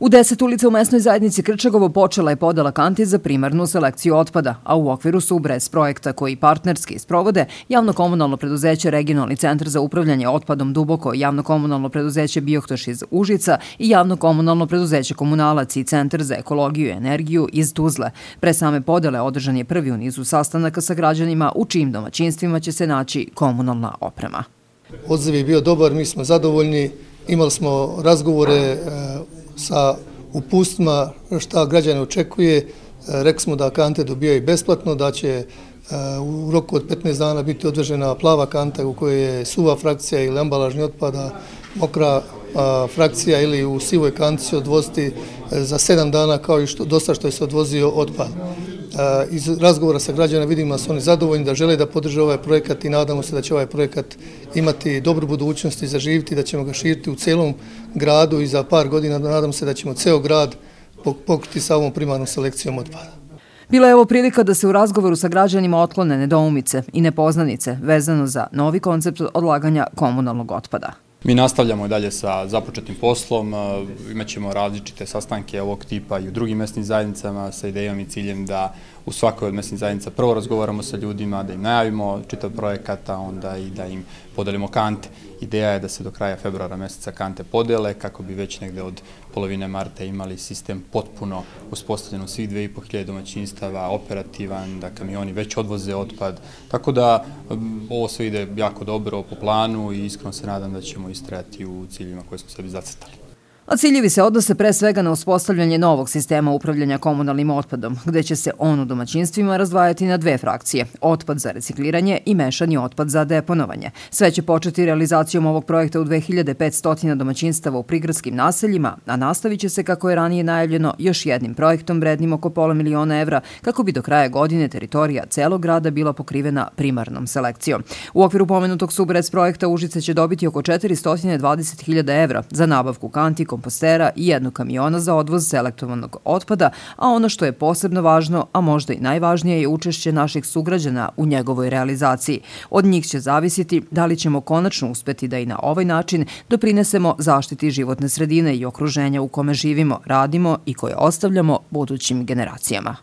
U 10 ulica u mesnoj zajednici Krčagovo počela je podela kanti za primarnu selekciju otpada, a u okviru su BRES projekta koji partnerski sprovode Javno-komunalno preduzeće Regionalni centar za upravljanje otpadom Duboko, Javno-komunalno preduzeće Biohtoš iz Užica i Javno-komunalno preduzeće Komunalac i Centar za ekologiju i energiju iz Tuzle. Pre same podele održan je prvi u nizu sastanaka sa građanima u čijim domaćinstvima će se naći komunalna oprema. Odziv je bio dobar, mi smo zadovoljni, imali smo razgovore sa uputstvima šta građane očekuje. Rekli smo da kante dobijaju besplatno, da će u roku od 15 dana biti odvežena plava kanta u kojoj je suva frakcija ili ambalažni otpada, mokra frakcija ili u sivoj kanti se odvoziti za 7 dana kao i dosta što je se odvozio otpad. Iz razgovora sa građana vidimo da su oni zadovoljni, da žele da podrže ovaj projekat i nadamo se da će ovaj projekat imati dobru budućnost i zaživiti, da ćemo ga širiti u celom gradu i za par godina nadam se da ćemo ceo grad pokriti sa ovom primarnom selekcijom otpada. Bila je ovo prilika da se u razgovoru sa građanima otklone nedoumice i nepoznanice vezano za novi koncept odlaganja komunalnog otpada. Mi nastavljamo dalje sa započetim poslom, imat ćemo različite sastanke ovog tipa i u drugim mesnim zajednicama sa idejom i ciljem da u svakoj od mesnih zajednica prvo razgovaramo sa ljudima, da im najavimo čitav projekat, a onda i da im podelimo kante. Ideja je da se do kraja februara meseca kante podele kako bi već negde od polovine marta imali sistem potpuno uspostavljen u svih 2500 domaćinstava, operativan, da kamioni već odvoze otpad. Tako da ovo sve ide jako dobro po planu i iskreno se nadam da ćemo istrajati u ciljima koje smo sebi zacrtali. A ciljevi se odnose pre svega na uspostavljanje novog sistema upravljanja komunalnim otpadom, gde će se on u domaćinstvima razdvajati na dve frakcije, otpad za recikliranje i mešani otpad za deponovanje. Sve će početi realizacijom ovog projekta u 2500 domaćinstava u prigradskim naseljima, a nastavit će se, kako je ranije najavljeno, još jednim projektom vrednim oko £500 000 kako bi do kraja godine teritorija celog grada bila pokrivena primarnom selekcijom. U okviru pomenutog SUBRES projekta Užice će dobiti oko €420.000 za nabavku kanti, kompostera i 1 kamiona za odvoz selektovanog otpada, a ono što je posebno važno, a možda i najvažnije, je učešće naših sugrađana u njegovoj realizaciji. Od njih će zavisiti da li ćemo konačno uspeti da i na ovaj način doprinesemo zaštiti životne sredine i okruženja u kome živimo, radimo i koje ostavljamo budućim generacijama.